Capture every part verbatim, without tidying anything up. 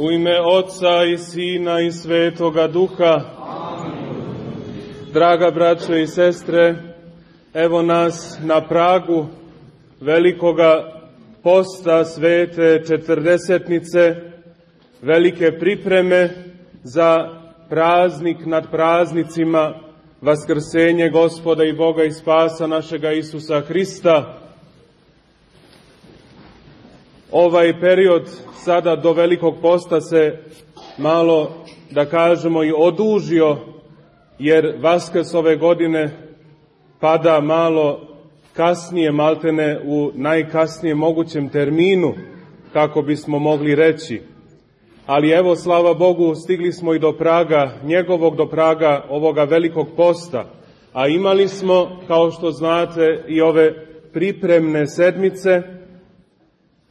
U ime Otca i Sina i Svetoga Duha. Amin. Draga braćo i sestre, evo nas na pragu velikoga posta Svete Četrdesetnice, velike pripreme za praznik nad praznicima, vaskrsenje Gospoda i Boga i spasa našega Isusa Hrista. Ovaj period sada do velikog posta se malo, da kažemo, i odužio, jer Vaskrs ove godine pada malo kasnije, maltene u najkasnijem mogućem terminu, kako bismo mogli reći. Ali evo, slava Bogu, stigli smo i do praga, njegovog do praga ovoga velikog posta, a imali smo, kao što znate, i ove pripremne sedmice,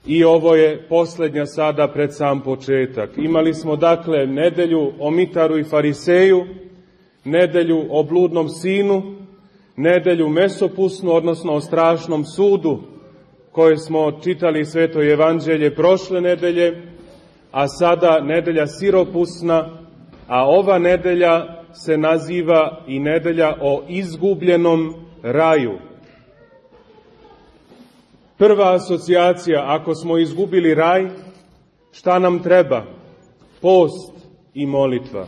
i ovo je posljednja sada pred sam početak. Imali smo dakle nedelju o Mitaru i Fariseju, nedelju o bludnom sinu, nedelju mesopusnu, odnosno o strašnom sudu, koje smo čitali Sveto Evanđelje prošle nedelje, a sada nedelja siropusna, a ova nedelja se naziva i nedelja o izgubljenom raju. Prva asocijacija, ako smo izgubili raj, šta nam treba? Post i molitva.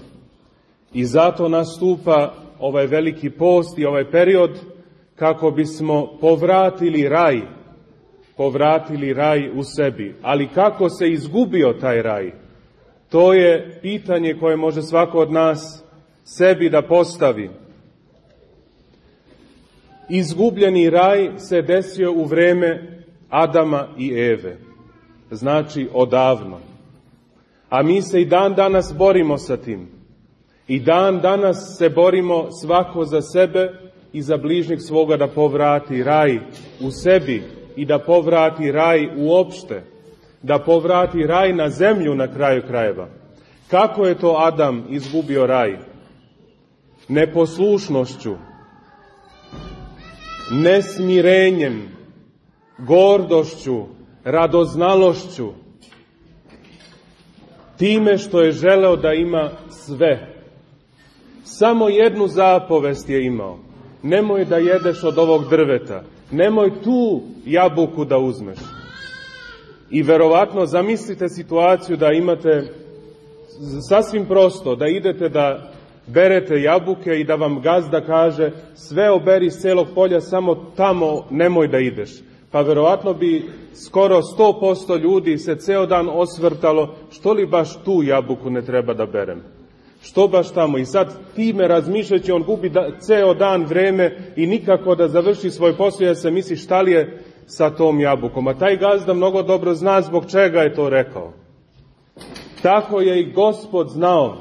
I zato nastupa ovaj veliki post i ovaj period kako bismo povratili raj, povratili raj u sebi. Ali kako se izgubio taj raj? To je pitanje koje može svako od nas sebi da postavi. Izgubljeni raj se desio u vreme Adama i Eve, znači odavno. A mi se i dan danas borimo sa tim. I dan danas se borimo svako za sebe i za bližnjeg svoga da povrati raj u sebi i da povrati raj uopšte, da povrati raj na zemlju na kraju krajeva. Kako je to Adam izgubio raj? Neposlušnošću, nesmirenjem, gordošću, radoznalošću, time što je želeo da ima sve. Samo jednu zapovest je imao. Nemoj da jedeš od ovog drveta. Nemoj tu jabuku da uzmeš. I verovatno zamislite situaciju da imate sasvim prosto, da idete da berete jabuke i da vam gazda kaže sve oberi s celog polja, samo tamo nemoj da ideš. Pa verovatno bi skoro sto posto ljudi se ceo dan osvrtalo, što li baš tu jabuku ne treba da berem? Što baš tamo? I sad time razmišljajući, on gubi da, ceo dan vreme i nikako da završi svoj posao, jer se misli šta li je sa tom jabukom. A taj gazda mnogo dobro zna zbog čega je to rekao. Tako je i Gospod znao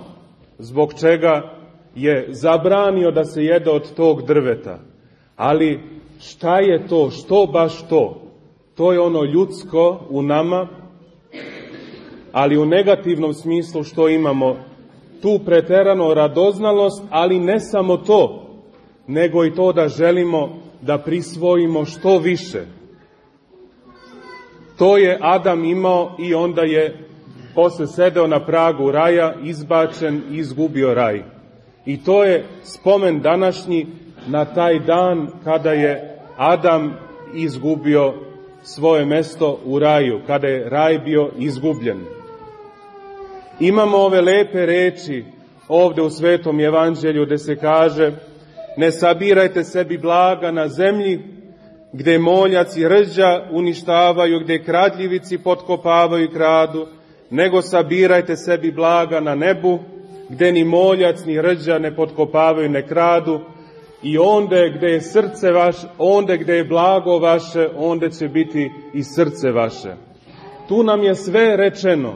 zbog čega je zabranio da se jede od tog drveta. Ali šta je to? Što baš to? To je ono ljudsko u nama, ali u negativnom smislu što imamo tu preterano radoznalost, ali ne samo to, nego i to da želimo da prisvojimo što više. To je Adam imao i onda je posle sedeo na pragu raja, izbačen i izgubio raj. I to je spomen današnji na taj dan kada je Adam izgubio svoje mesto u raju, kada je raj bio izgubljen. Imamo ove lepe reči ovde u Svetom Evanđelju gde se kaže: ne sabirajte sebi blaga na zemlji, gde moljac i rđa uništavaju, gde kradljivici potkopavaju i kradu, nego sabirajte sebi blaga na nebu, gde ni moljac ni rđa ne potkopavaju, ne kradu, i onde gde je srce vaše, onde gde je blago vaše, onde će biti i srce vaše. Tu nam je sve rečeno.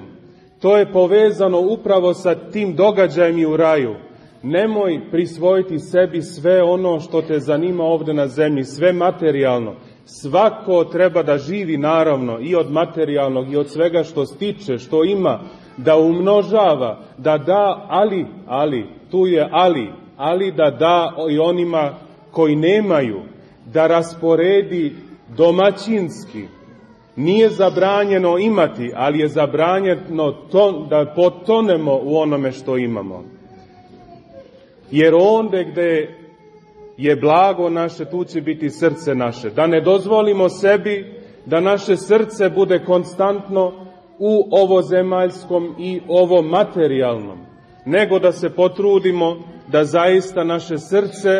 To je povezano upravo sa tim događajem i u raju. Nemoj prisvojiti sebi sve ono što te zanima ovde na zemlji, sve materijalno. Svako treba da živi, naravno, i od materijalnog i od svega što stiče, što ima, da umnožava, da da, ali, ali, tu je ali, ali da da i onima koji nemaju, da rasporedi domaćinski, Nije zabranjeno imati, ali je zabranjeno to, da potonemo u onome što imamo. Jer onde gde je blago naše, tu će biti srce naše. Da ne dozvolimo sebi da naše srce bude konstantno u ovozemaljskom i ovo materijalnom, nego da se potrudimo da zaista naše srce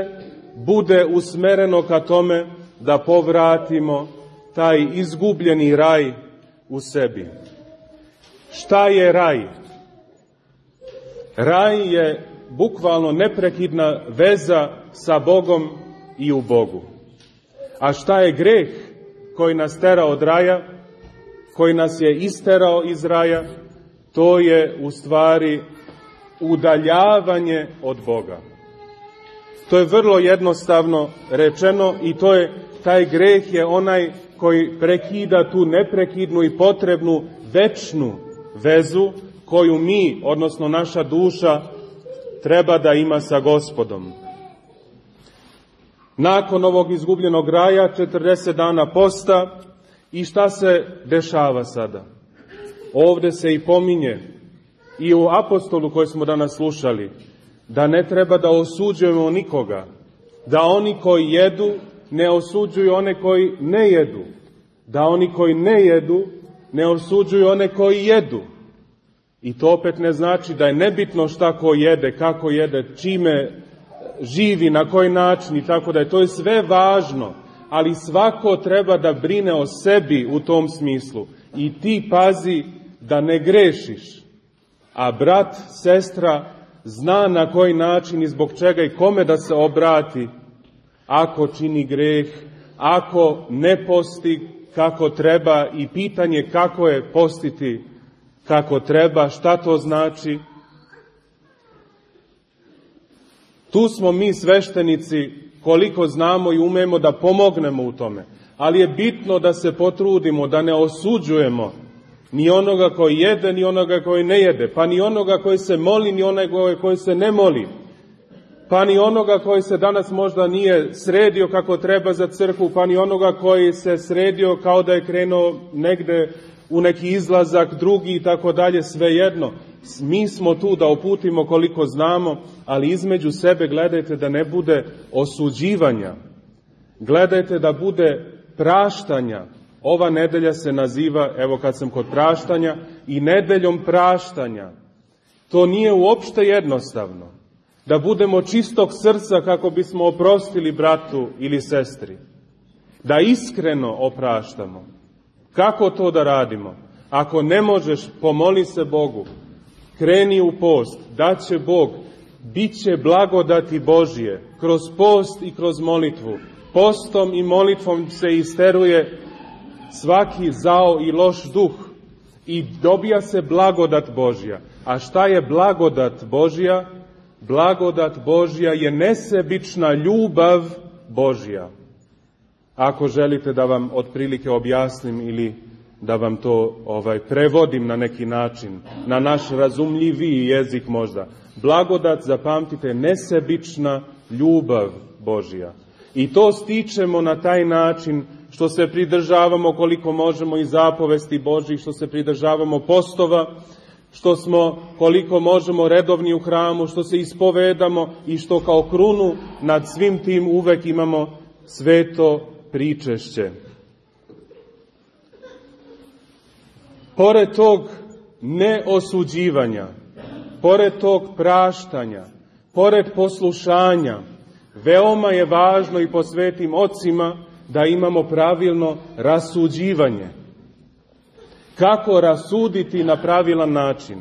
bude usmereno ka tome da povratimo taj izgubljeni raj u sebi. Šta je raj? Raj je bukvalno neprekidna veza sa Bogom i u Bogu. A šta je greh koji nas tera od raja, koji nas je isterao iz raja? To je u stvari udaljavanje od Boga. To je vrlo jednostavno rečeno i to je, taj greh je onaj koji prekida tu neprekidnu i potrebnu večnu vezu koju mi, odnosno naša duša, treba da ima sa Gospodom. Nakon ovog izgubljenog raja, četrdeset dana posta, i šta se dešava sada? Ovde se i pominje, i u apostolu koji smo danas slušali, da ne treba da osuđujemo nikoga, da oni koji jedu ne osuđuju one koji ne jedu, da oni koji ne jedu ne osuđuju one koji jedu. I to opet ne znači da je nebitno šta ko jede, kako jede, čime živi, na koji način i tako da je. To je sve važno, ali svako treba da brine o sebi u tom smislu. I ti pazi da ne grešiš, a brat, sestra zna na koji način i zbog čega i kome da se obrati ako čini greh, ako ne posti kako treba, i pitanje kako je postiti kako treba, šta to znači. Tu smo mi sveštenici koliko znamo i umemo da pomognemo u tome, ali je bitno da se potrudimo, da ne osuđujemo ni onoga koji jede, ni onoga koji ne jede, pa ni onoga koji se moli, ni onoga koji se ne moli, pa ni onoga koji se danas možda nije sredio kako treba za crkvu, pa ni onoga koji se sredio kao da je krenuo negde u neki izlazak drugi i tako dalje, svejedno. Mi smo tu da uputimo koliko znamo, ali između sebe gledajte da ne bude osuđivanja. Gledajte da bude praštanja. Ova nedelja se naziva, evo kad sam kod praštanja, i nedeljom praštanja. To nije uopšte jednostavno. Da budemo čistog srca kako bismo oprostili bratu ili sestri. Da iskreno opraštamo. Kako to da radimo? Ako ne možeš, pomoli se Bogu. Kreni u post, daće Bog, bit će blagodati Božije, kroz post i kroz molitvu. Postom i molitvom se isteruje svaki zao i loš duh i dobija se blagodat Božja. A šta je blagodat Božja? Blagodat Božja je nesebična ljubav Božja. Ako želite da vam otprilike objasnim ili da vam to ovaj prevodim na neki način, na naš razumljiviji jezik možda. Blagodat, zapamtite, nesebična ljubav Božja. I to stičemo na taj način što se pridržavamo koliko možemo i zapovesti Božjih, što se pridržavamo postova, što smo koliko možemo redovni u hramu, što se ispovedamo i što kao krunu nad svim tim uvek imamo sveto pričešće. Pored tog neosuđivanja, pored tog praštanja, pored poslušanja, veoma je važno i po svetim ocima da imamo pravilno rasuđivanje. Kako rasuditi na pravilan način?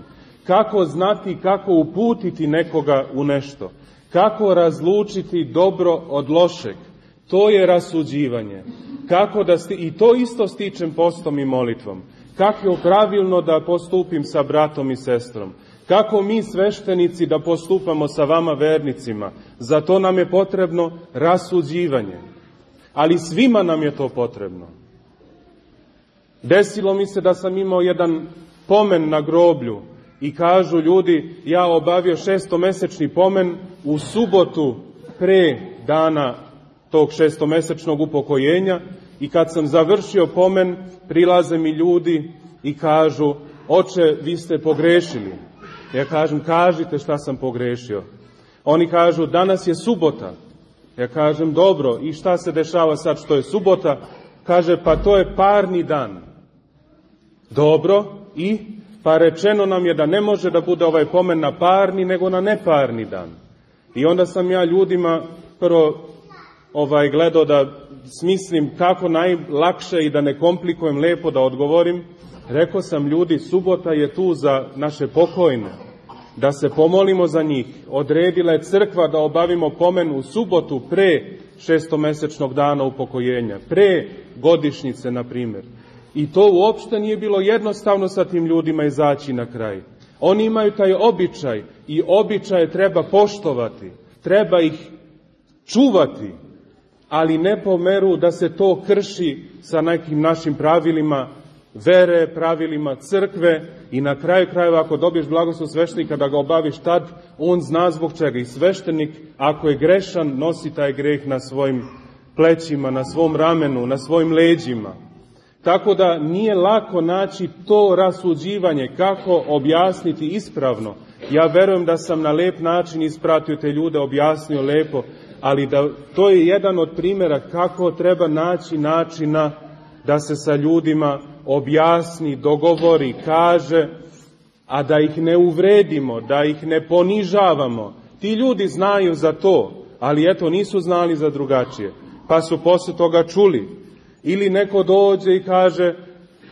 Kako znati, kako uputiti nekoga u nešto? Kako razlučiti dobro od lošeg? To je rasuđivanje. Kako da sti... I to isto stičem postom i molitvom. Kako je pravilno da postupim sa bratom i sestrom? Kako mi sveštenici da postupamo sa vama vernicima? Za to nam je potrebno rasuđivanje. Ali svima nam je to potrebno. Desilo mi se da sam imao jedan pomen na groblju i kažu ljudi, ja obavio šestomesečni pomen u subotu pre dana tog šestomesečnog upokojenja I kad sam završio pomen, prilaze mi ljudi i kažu, oče, vi ste pogrešili. Ja kažem, kažite šta sam pogrešio. Oni kažu, danas je subota. Ja kažem, dobro, i šta se dešava sad što je subota? Kaže, pa to je parni dan. Dobro, i? Pa rečeno nam je da ne može da bude ovaj pomen na parni, nego na neparni dan. I onda sam ja ljudima prvo ovaj, gledao da smislim kako najlakše i da ne komplikujem lepo da odgovorim. Rekao sam, ljudi, subota je tu za naše pokojne, da se pomolimo za njih. Odredila je crkva da obavimo pomen u subotu pre šestomesečnog dana upokojenja, pre godišnjice, na primjer. I to uopšte nije bilo jednostavno sa tim ljudima izaći na kraj. Oni imaju taj običaj i običaje treba poštovati, treba ih čuvati, ali ne po meru da se to krši sa nekim našim pravilima vere, pravilima crkve i na kraju krajeva ako dobiješ blagoslov sveštenika da ga obaviš tad, on zna zbog čega. I sveštenik, ako je grešan, nosi taj greh na svojim plećima, na svom ramenu, na svojim leđima. Tako da nije lako naći to rasuđivanje, kako objasniti ispravno. Ja verujem da sam na lep način ispratio te ljude, objasnio lepo, ali da to je jedan od primjera kako treba naći načina da se sa ljudima objasni, dogovori, kaže, a da ih ne uvredimo, da ih ne ponižavamo. Ti ljudi znaju za to, ali eto nisu znali za drugačije, pa su posle toga čuli. Ili neko dođe i kaže,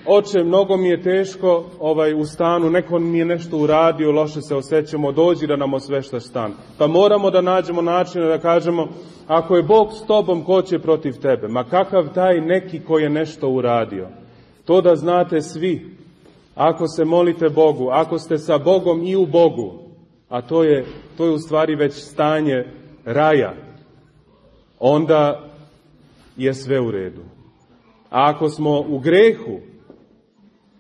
oče, mnogo mi je teško ovaj, u stanu, neko mi je nešto uradio, loše se osjećamo, dođi da nam osveštaš stan. Pa moramo da nađemo načina da kažemo, ako je Bog s tobom, ko će protiv tebe? Ma kakav taj neki ko je nešto uradio? To da znate svi, ako se molite Bogu, ako ste sa Bogom i u Bogu, a to je, to je u stvari već stanje raja, onda je sve u redu. A ako smo u grehu,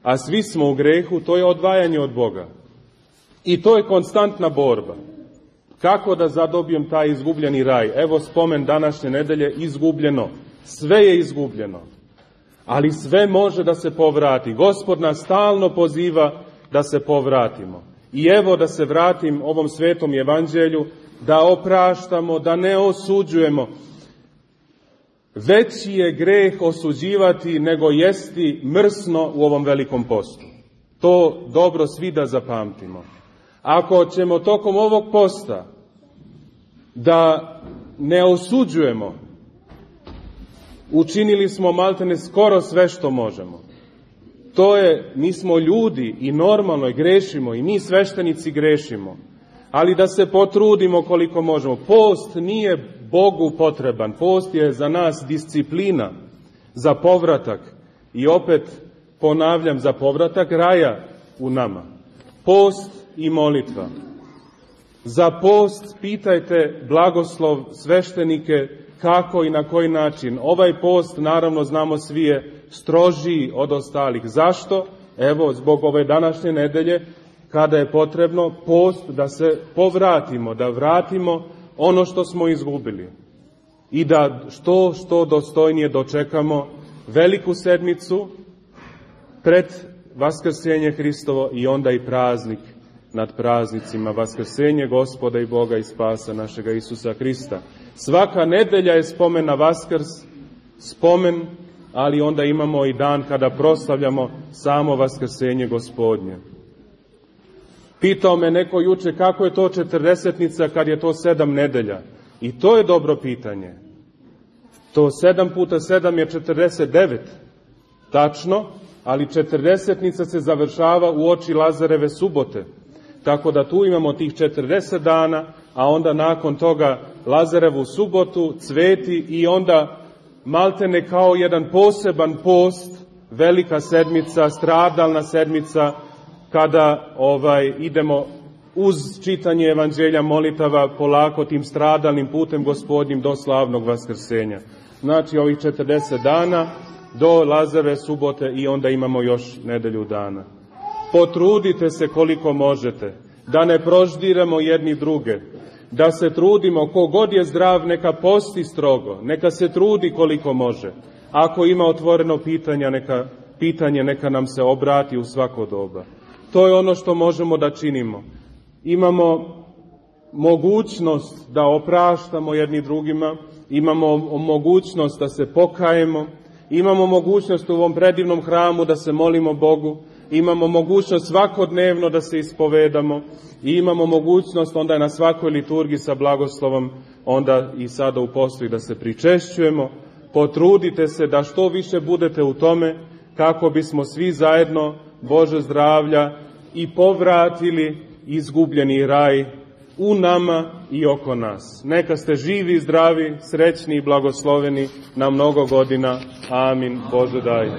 a svi smo u grehu, to je odvajanje od Boga. I to je konstantna borba. Kako da zadobijem taj izgubljeni raj? Evo spomen današnje nedelje, izgubljeno. Sve je izgubljeno. Ali sve može da se povrati. Gospod nas stalno poziva da se povratimo. I evo da se vratim ovom svetom evanđelju, da opraštamo, da ne osuđujemo. Veći je greh osuđivati nego jesti mrsno u ovom velikom postu. To dobro svi da zapamtimo. Ako ćemo tokom ovog posta da ne osuđujemo, učinili smo maltene skoro sve što možemo. To je, mi smo ljudi i normalno je, grešimo i mi sveštenici grešimo. Ali da se potrudimo koliko možemo. Post nije Bogu potreban. Post je za nas disciplina, za povratak. I opet ponavljam, za povratak raja u nama. Post i molitva. Za post pitajte blagoslov sveštenike kako i na koji način. Ovaj post, naravno znamo svi, je strožiji od ostalih. Zašto? Evo, zbog ove današnje nedelje, kada je potrebno post da se povratimo, da vratimo ono što smo izgubili i da što, što dostojnije dočekamo veliku sedmicu pred Vaskrsenje Hristovo i onda i praznik nad praznicima, Vaskrsenje Gospoda i Boga i Spasa našega Isusa Hrista. Svaka nedelja je spomen na Vaskrs, spomen, ali onda imamo i dan kada proslavljamo samo Vaskrsenje Gospodnje. Pitao me neko juče kako je to četrdesetnica kad je to sedam nedelja. I to je dobro pitanje. To sedam puta sedam je četrdeset devet. Tačno, ali četrdesetnica se završava u oči Lazareve subote. Tako da tu imamo tih četrdeset dana, a onda nakon toga Lazarevu subotu, cveti i onda maltene kao jedan poseban post, velika sedmica, stradalna sedmica, kada ovaj idemo uz čitanje evanđelja molitava polako tim stradalnim putem Gospodnjim do slavnog Vaskrsenja. Znači ovih četrdeset dana do Lazareve subote i onda imamo još nedelju dana. Potrudite se koliko možete, da ne proždiramo jedni druge, da se trudimo, ko god je zdrav neka posti strogo, neka se trudi koliko može, Ako ima otvoreno pitanja, neka, pitanje, neka nam se obrati u svako doba. To je ono što možemo da činimo. Imamo mogućnost da opraštamo jedni drugima, imamo mogućnost da se pokajemo, imamo mogućnost u ovom predivnom hramu da se molimo Bogu, imamo mogućnost svakodnevno da se ispovedamo i imamo mogućnost onda na svakoj liturgiji sa blagoslovom, onda i sada u postu i da se pričešćujemo. Potrudite se da što više budete u tome kako bismo svi zajedno Bože zdravlja i povratili izgubljeni raj u nama i oko nas. Neka ste živi, zdravi, srećni i blagosloveni na mnogo godina. Amin. Bože daj.